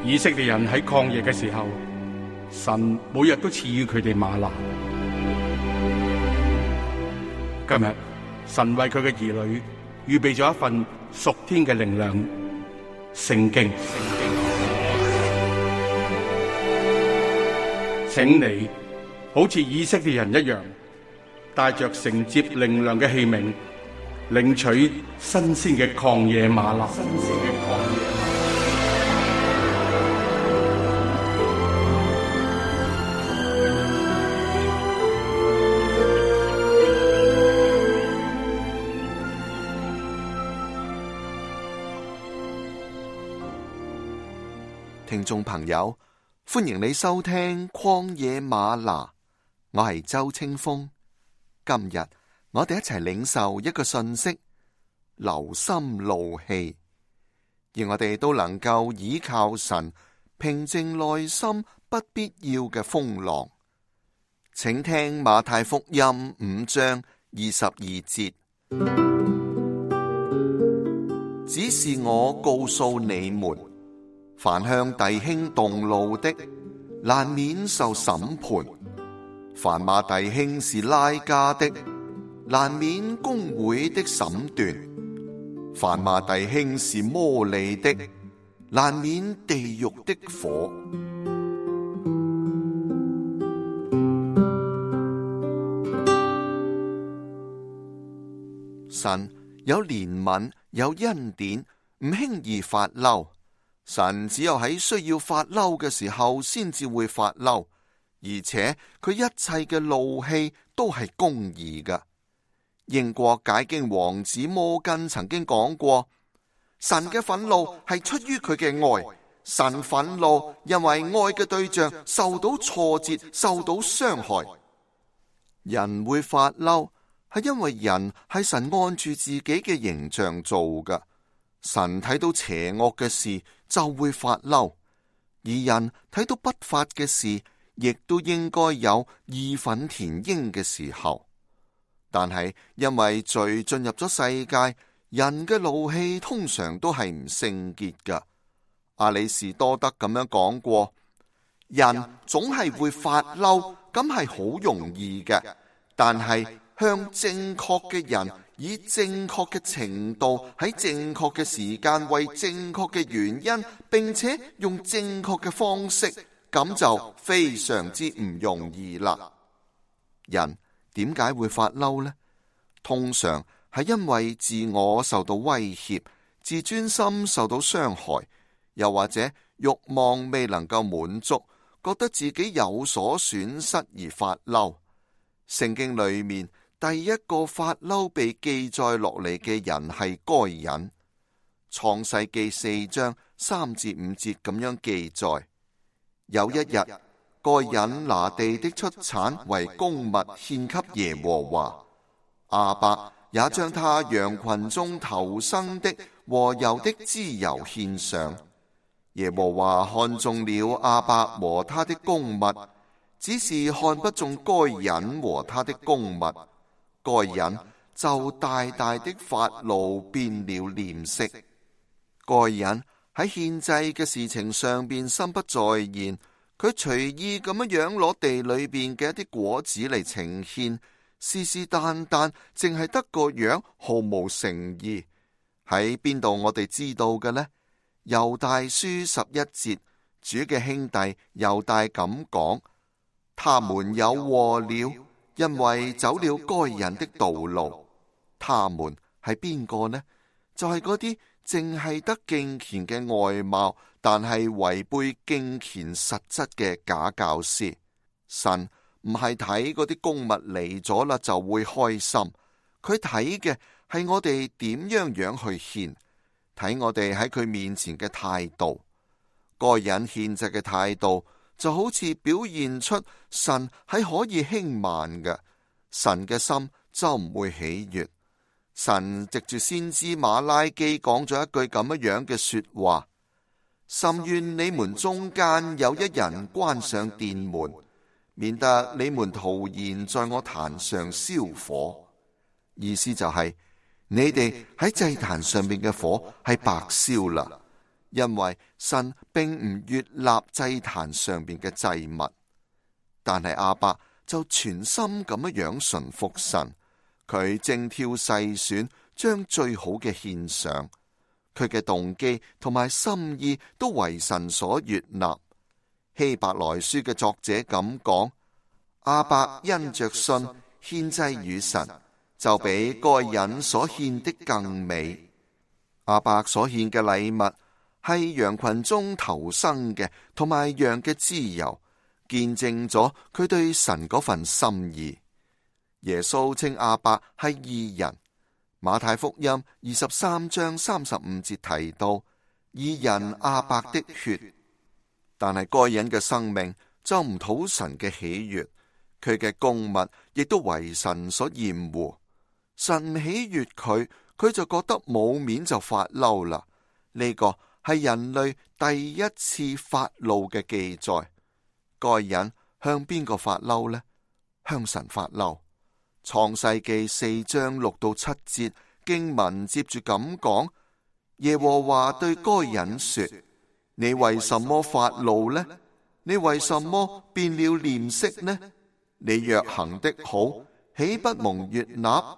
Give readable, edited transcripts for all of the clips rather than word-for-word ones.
以色列人喺曠野嘅時候，神每日都賜予佢哋嗎哪。今日神為佢嘅兒女預備咗一份屬天嘅靈糧——聖經。請你好似以色列人一樣，帶着承接靈糧嘅器皿，領取新鮮嘅曠野嗎哪。聽眾朋友，歡迎你收聽曠野嗎哪，我係周清風。今日我哋一齊領受一個訊息：留心怒氣，而我哋都能夠倚靠神，平靜內心不必要嘅風浪。請聽馬太福音5章22節。只是我告訴你們，凡向弟兄動怒的，難免受審判；凡罵弟兄是拉加的，難免公會的審斷；凡罵弟兄是魔利的，難免地獄的火。神有憐憫，有恩典，唔輕易發嬲。神只有喺需要發嬲嘅時候先至會發嬲，而且佢一切嘅怒氣都係公義嘅。英國解經王子摩根曾經講過，神嘅憤怒係出於佢嘅愛，神憤怒因為愛嘅對象受到挫折，受到傷害。人會發嬲係因為人係神按住自己嘅形象做嘅。神睇到邪惡嘅事就會發嬲，而人睇到不法嘅事，亦都應該有義憤填膺嘅時候。但係因為罪進入咗世界，人嘅怒氣通常都係唔聖潔㗎。亞里士多德咁樣講過，人總係會發嬲，咁係好容易嘅，但係向正確嘅人以正確嘅程度，喺正確嘅時間，為正確嘅原因，並且用正確嘅方式，咁就非常之唔容易啦。人點解會發嬲呢？通常係因為自我受到威脅，自尊心受到傷害，又或者慾望未能夠滿足，覺得自己有所損失而發嬲。聖經裏面第一個發嬲被記載落嚟嘅人係該隱。創世記4章3至5節咁樣記載：有一日，該隱拿地的出產為供物獻給耶和華，亞伯也將他羊群中頭生的和油的脂油獻上。耶和華看中了亞伯和他的供物，只是看不中該隱和他的供物。該隱就大大的發怒，變了臉色。該隱喺獻祭嘅事情上邊心不在焉，佢隨意咁樣攞地裏邊嘅一啲果子嚟呈獻，是是但但，淨係得個樣，毫無誠意。喺邊度我哋知道嘅呢？猶大書11節，主嘅兄弟猶大咁講：他們有禍了，因為走了該隱的道路。他們係邊個呢？就係嗰啲淨係得敬虔嘅外貌，但係違背敬虔實質嘅假教師。神唔係睇嗰啲供物嚟咗啦就會開心，佢睇嘅係我哋點樣去獻，睇我哋喺佢面前嘅態度。該隱獻祭嘅態度就好似表現出神係可以輕慢嘅，神嘅心就唔會喜悅。神藉住先知馬拉基講咗一句咁樣嘅說話：甚願你們中間有一人關上殿門，免得你們徒然在我壇上燒火。意思就係你哋喺祭壇上面嘅火係白燒啦，因為神並唔悅納祭壇上邊嘅祭物。但係亞伯就全心咁樣順服神，佢精挑細選，將最好嘅獻上。佢嘅動機同埋心意都為神所悅納。希伯來書嘅作者咁講：亞伯因着信獻祭與神，就比該隱所獻的更美。亞伯所獻嘅禮物係羊群中頭生嘅，同埋羊嘅脂油，見證咗佢對神嗰份心意。耶穌稱亞伯係義人。馬太福音23章35節提到義人亞伯的血，但係該隱嘅生命就唔討神嘅喜悅，佢嘅供物亦都為神所厭惡。神唔喜悅佢，佢就覺得冇面就發嬲啦。呢個係人類第一次發怒嘅記載。該隱向邊個發嬲呢？向神發嬲。創世記4章6到7節經文接住咁講：耶和華對該隱說：你為什麼發怒呢？你為什麼變了臉色呢？你若行的好，豈不蒙悅納？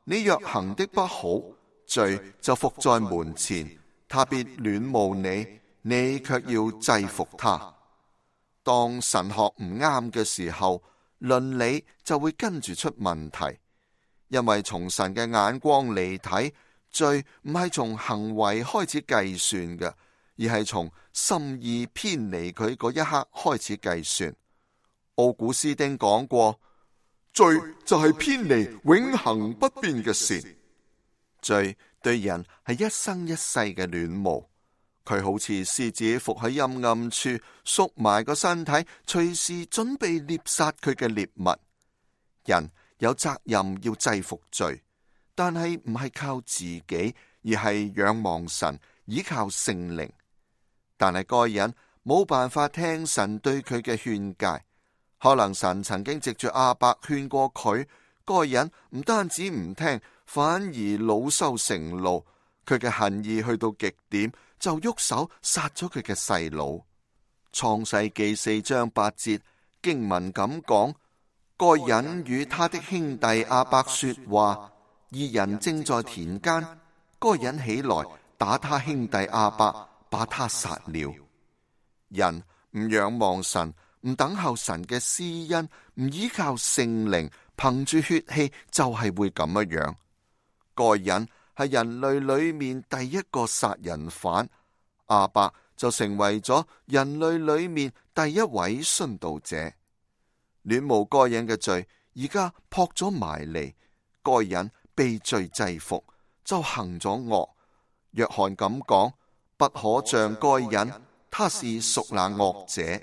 你若行的不好，罪就伏在門前，他必戀慕你，你卻要制服他。當神學唔啱嘅時候，倫理就會跟住出問題，因為從神嘅眼光嚟睇，罪唔係從行為開始計算嘅，而係從心意偏離佢嗰一刻開始計算。奧古斯丁講過，罪就係偏離永恆不變嘅善。罪對人係一生一世嘅戀慕，佢好似獅子伏喺陰暗處，縮埋個身體，隨時準備獵殺佢嘅獵物。人有責任要制服罪，但係唔係靠自己，而係仰望神，依靠聖靈。但係該隱冇辦法聽神對佢嘅勸誡，可能神曾經藉住亞伯勸過佢，該隱唔單止唔聽，反而惱羞成怒，佢嘅恨意去到極點，就喐手殺咗佢嘅細佬。創世記4章8節經文咁講：該隱與他的兄弟亞伯說話，二人正在田間，該隱起來打他兄弟亞伯，把他殺了。人唔仰望神，唔等候神嘅施恩，唔依靠聖靈，憑住血氣就係會咁樣。該隱係人類裏面第一個殺人犯，亞伯就成為咗人類裏面第一位殉道者。戀慕該隱嘅罪而家撲咗埋嚟，該隱被罪制服，就行咗惡。約翰咁講：不可像該隱，他是屬那惡者。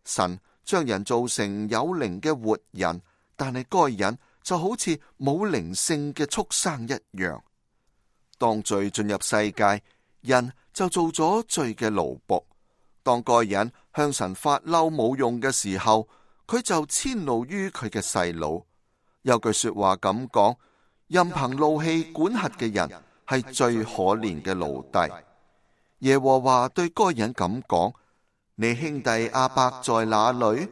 神將人造成有靈嘅活人，但係該隱就好似冇靈性嘅畜生一樣。當罪進入世界，人就做咗罪嘅奴僕。當該隱向神發嬲冇用嘅時候，佢就遷怒於佢嘅細佬。有句說話咁講：任憑怒氣管轄嘅人係最可憐嘅奴隸。耶和華對該隱咁講：你兄弟亞伯在哪裏？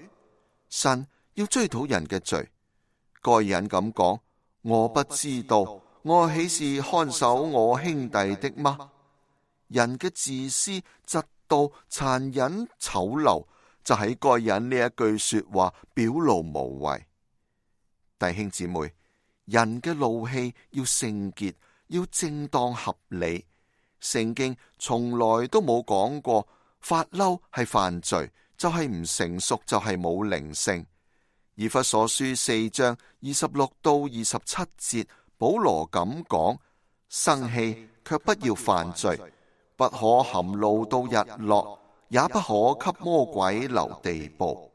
神要追討人嘅罪。該隱咁講：我不知道，我豈是看守我兄弟的嗎？人嘅自私、嫉妒、殘忍、醜陋，就喺該隱呢一句說話表露無遺。弟兄姊妹，人嘅怒氣要聖潔，要正當合理。聖經從來都冇講過發嬲係犯罪，就係唔成熟，就係冇靈性。以弗所書4章26到27節，保羅咁講：生氣卻不要犯罪，不可含怒到日落，也不可給魔鬼留地步。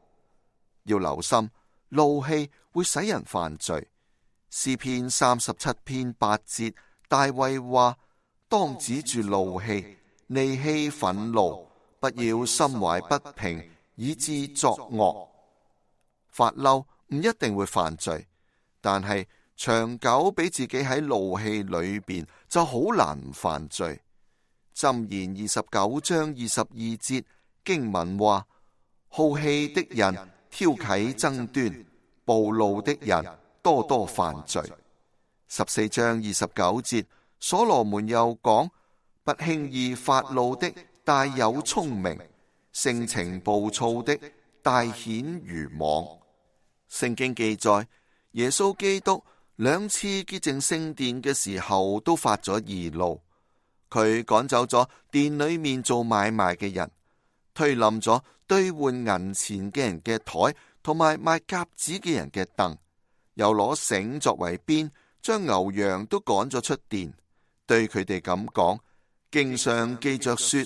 要留心，怒氣會使人犯罪。詩篇37篇8節，大衛話：當止住怒氣，離棄憤怒，不要心懷不平，以致作惡。發嬲唔一定會犯罪，但係長久俾自己喺怒氣裏邊就好難唔犯罪。箴言29章22節經文話：好氣的人挑起爭端，暴怒的人多多犯罪。14章29節所羅門又講：不輕易發怒的大有聰明，性情暴躁的大顯愚妄。聖經記載，耶穌基督2次潔淨聖殿嘅時候都發咗義怒，佢趕走咗殿裏面做買賣嘅人，推冧咗兌換銀錢嘅人嘅台，同埋賣鴿子嘅人嘅凳，又攞繩作為鞭，將牛羊都趕咗出殿，對佢哋咁講：經上記着說，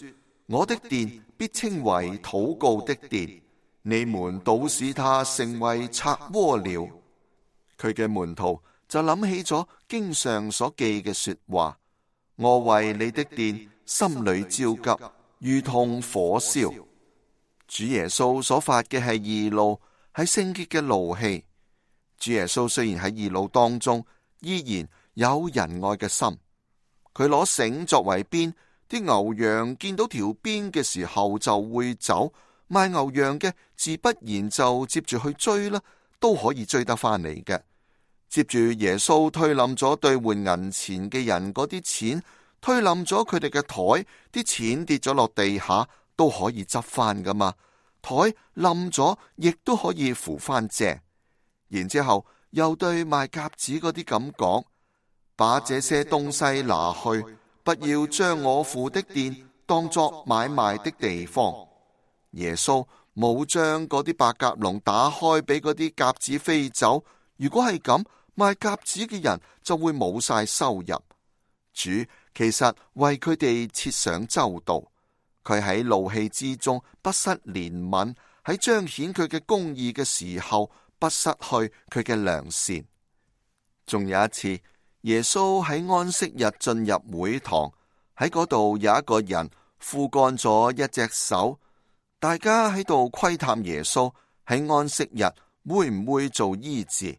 我的殿必稱為禱告的殿，你們倒使他成為賊窩了。佢嘅門徒就諗起咗經上所記嘅說話：我為你的殿心裏焦急，如同火燒。主耶穌所發嘅係義怒，係聖潔嘅怒氣。主耶穌雖然喺義怒當中，依然有仁愛嘅心。佢攞繩作為鞭，啲牛羊見到條鞭嘅時候就會走，賣牛羊嘅自不然就接住去追啦，都可以追得翻嚟嘅。接住耶穌推冧咗兌換銀錢嘅人嗰啲錢，推冧咗佢哋嘅台，啲錢跌咗落地下都可以執翻噶嘛，台冧咗亦都可以扶翻正。然之後又對賣鴿子嗰啲咁講：把這些東西拿去，不要將我父的殿當作買賣的地方。耶穌冇將嗰啲白鴿籠打開俾嗰啲鴿子飛走，如果係咁，賣鴿子嘅人就會冇晒收入。主其實為佢哋設想周到，佢喺怒氣之中不失憐憫，喺彰顯佢嘅公義嘅時候不失去佢嘅良善。仲有一次，耶穌喺安息日進入會堂，喺嗰度有一個人枯乾咗一隻手，大家喺度窺探耶穌喺安息日會唔會做醫治，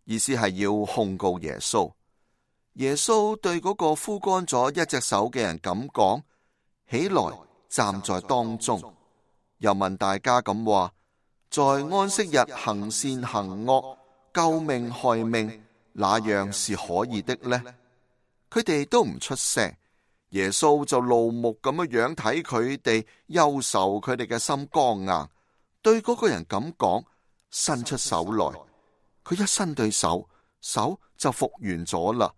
意思係要控告耶穌。耶穌對嗰個枯乾咗一隻手嘅人咁講：起來，站在當中。又問大家咁話：在安息日行善行惡，救命害命，哪樣是可以的呢？佢哋都唔出聲，耶穌就怒目咁樣睇佢哋，憂愁佢哋嘅心剛硬，對嗰個人咁講：伸出手來。佢一伸對手，手就復原咗啦。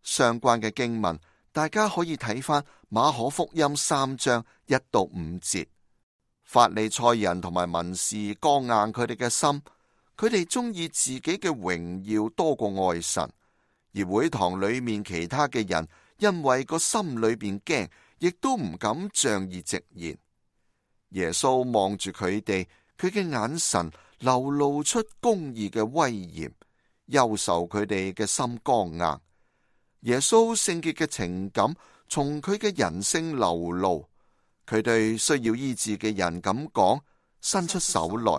相關嘅經文，大家可以睇翻馬可福音3章1到5節。法利賽人同埋文士剛硬佢哋嘅心，佢哋中意自己嘅榮耀多過愛神，而會堂裏面其他嘅人因為個心裏邊驚，亦都唔敢仗義直言。耶穌望住佢哋，佢嘅眼神流露出公義嘅威嚴，憂愁佢哋嘅心剛硬。耶穌聖潔嘅情感從佢嘅人性流露，佢對需要醫治嘅人咁講：伸出手來。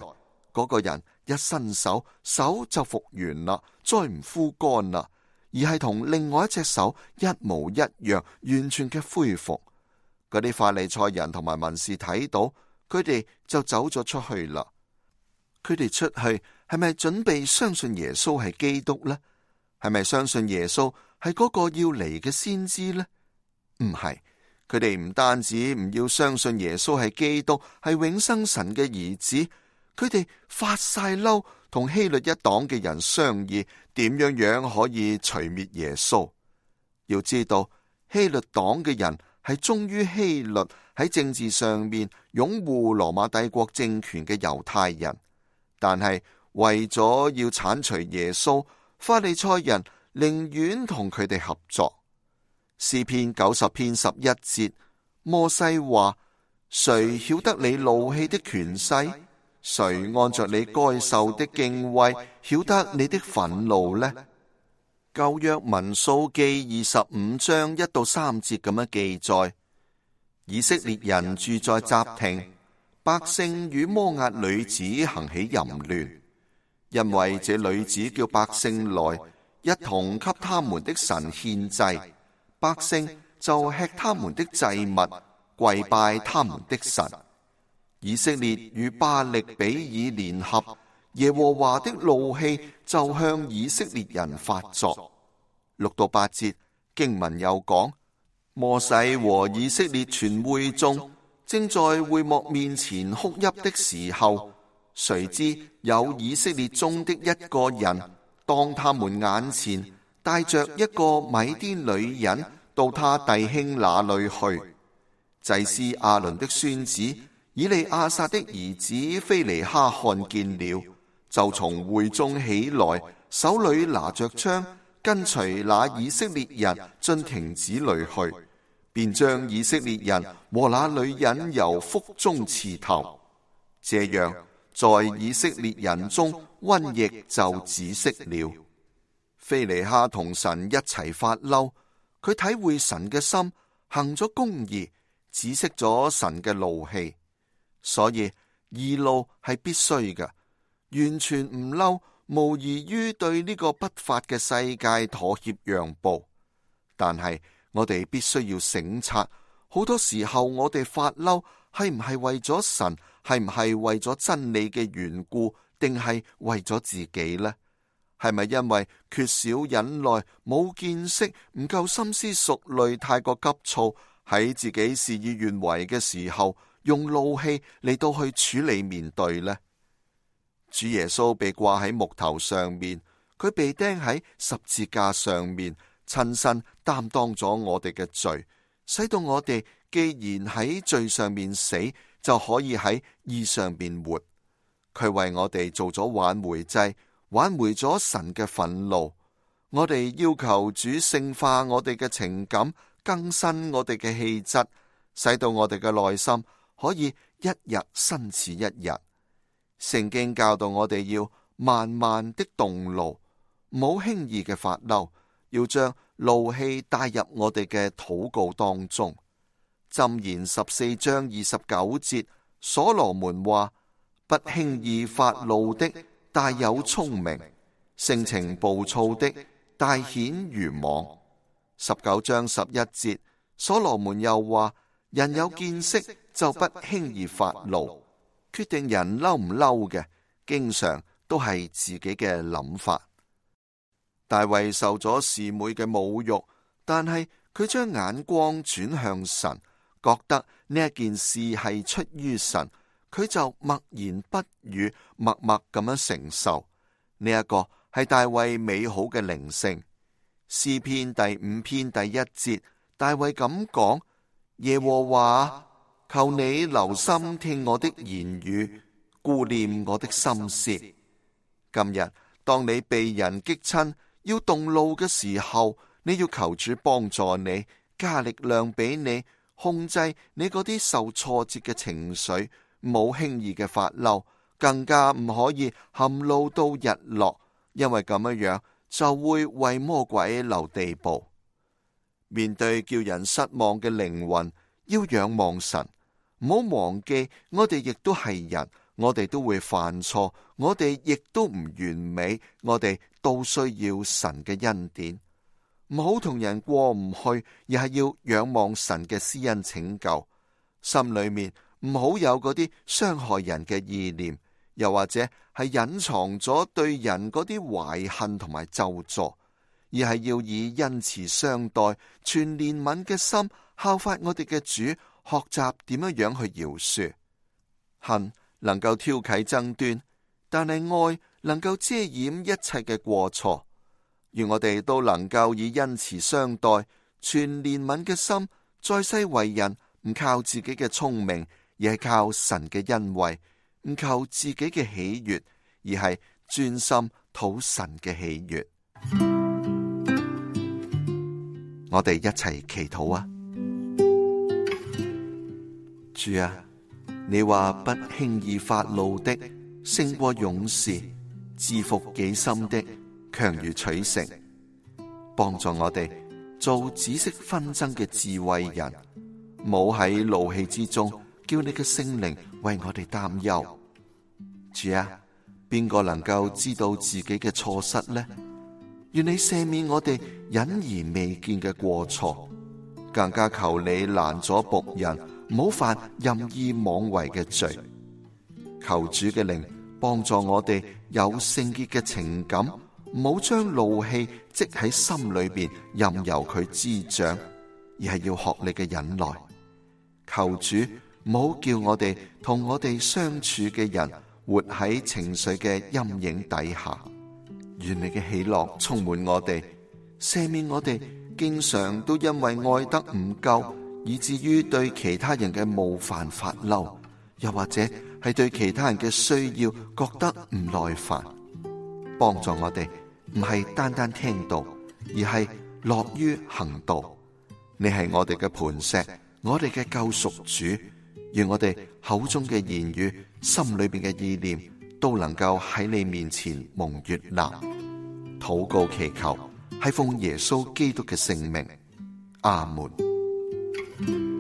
嗰個人一伸手，手就復原啦，再唔枯乾啦，而係同另外一隻手一模一樣，完全嘅恢復。嗰啲法利賽人同埋文士睇到，佢哋就走咗出去啦。佢哋出去係咪準備相信耶穌係基督呢？係咪相信耶穌係嗰個要嚟嘅先知呢？唔係，佢哋唔單止唔要相信耶穌係基督，係永生神嘅兒子，佢哋發晒嬲，同希律一黨嘅人商議點樣可以除滅耶穌。要知道，希律黨嘅人係忠於希律喺政治上面擁護羅馬帝國政權嘅猶太人，但係為咗要鏟除耶穌，法利賽人寧願同佢哋合作。詩篇90篇11節，摩西話：誰曉得你怒氣的權勢？誰按着你該受的敬畏，曉得你的憤怒呢？舊約民數記25章1到3節咁樣記載：以色列人住在什亭，百姓與摩押女子行起淫亂，因為這女子叫百姓來，一同給他們的神獻祭。百姓就吃他們的祭物，跪拜他們的神。以色列與巴力比爾聯合，耶和華的怒氣就向以色列人發作。6到8節經文又講，摩西和以色列全會眾正在會幕面前哭泣的時候，誰知有以色列中的一個人當他們眼前帶着一個米甸女人到他弟兄那裏去。祭司亞倫的孫子以利亞撒的兒子非尼哈看見了，就從會中起來，手裏拿着槍，跟隨那以色列人進亭子裏去，便將以色列人和那女人由腹中刺透。這樣，在以色列人中瘟疫就止息了。非尼哈同神一齊發嬲，佢體會神嘅心，行咗公義，止息咗神嘅怒氣。所以義怒係必須嘅，完全唔嬲，無異於對呢個不法嘅世界妥協讓步。但係我哋必須要省察，好多時候我哋發嬲係唔係為咗神，係唔係為咗真理嘅緣故，定係為咗自己呢？係咪因為缺少忍耐、冇見識、唔夠深思熟慮、太過急躁，喺自己事與願違嘅時候，用怒氣嚟到去處理面對呢？主耶穌被掛喺木頭上面，佢被釘喺十字架上面，親身擔當咗我哋嘅罪，使到我哋既然喺罪上面死，就可以喺義上面活。佢為我哋做咗挽回祭，挽回咗神嘅憤怒。我哋要求主聖化我哋嘅情感，更新我哋嘅氣質，使到我哋嘅內心可以一日新似一日。聖經教導我哋要慢慢的動怒，唔好輕易嘅發嬲，要將怒氣帶入我哋嘅禱告當中。箴言14章29節，所羅門話：不輕易發怒的大有聰明，性情暴躁的大顯愚妄。19章11節，所羅門又話：人有見識就不輕易發怒，決定人嬲唔嬲嘅，經常都係自己嘅諗法。大衛受咗示每嘅侮辱，但係佢將眼光轉向神，覺得呢一件事係出於神，佢就默言不語，默默咁樣承受。呢一個係大衛美好嘅靈性。詩篇第5篇第1節，大衛咁講：耶和華，求你留心聽我的言語，顧念我的心思。今日當你被人激親，要動怒嘅時候，你要求主幫助你，加力量俾你，控制你嗰啲受挫折嘅情緒，唔好輕易嘅發嬲，更加唔可以含怒到日落，因為咁樣就會為魔鬼留地步。面對叫人失望嘅靈魂，要仰望神，唔好忘記我哋亦都係人，我哋都會犯錯，我哋亦都唔完美，我哋都需要神嘅恩典。唔好同人過唔去，而係要仰望神嘅施恩拯救。心裏面唔好有嗰啲傷害人嘅意念，又或者係隱藏咗對人嗰啲懷恨同埋咒詛，而係要以恩慈相待，全憐憫嘅心效法我哋嘅主，學習點樣去饒恕。恨能夠挑起爭端，但係愛能夠遮掩一切嘅過錯。願我哋都能夠以恩慈相待，全憐憫嘅心，在世為人唔靠自己嘅聰明，而係靠神嘅恩惠；唔求自己嘅喜悅，而係專心討神嘅喜悅。我哋一齊祈禱啊！主啊，你話不輕易發怒的勝過勇士，治服己心的強如取城。幫助我哋做止息紛爭嘅智慧人，冇喺怒氣之中叫你嘅聖靈為我哋擔憂。主啊，邊個能夠知道自己嘅錯失呢？願你赦免我哋隱而未見嘅過錯，更加求你攔阻僕人唔好犯任意妄為嘅罪。求主嘅靈幫助我哋有聖潔嘅情感，唔好將怒氣積喺心裏邊，任由佢滋長，而係要學你嘅忍耐。求主唔好叫我哋同我哋相處嘅人活喺情緒嘅陰影底下。願你嘅喜樂充滿我哋，赦免我哋經常都因為愛得唔夠，以至於對其他人嘅冒犯發嬲，又或者係對其他人嘅需要覺得唔耐煩。幫助我哋唔係單單聽道，而係樂於行道。你係我哋嘅磐石，我哋嘅救贖主。願我哋口中嘅言語，心裏邊嘅意念，都能夠喺你面前蒙悅納。禱告祈求，係奉耶穌基督嘅聖名。阿門。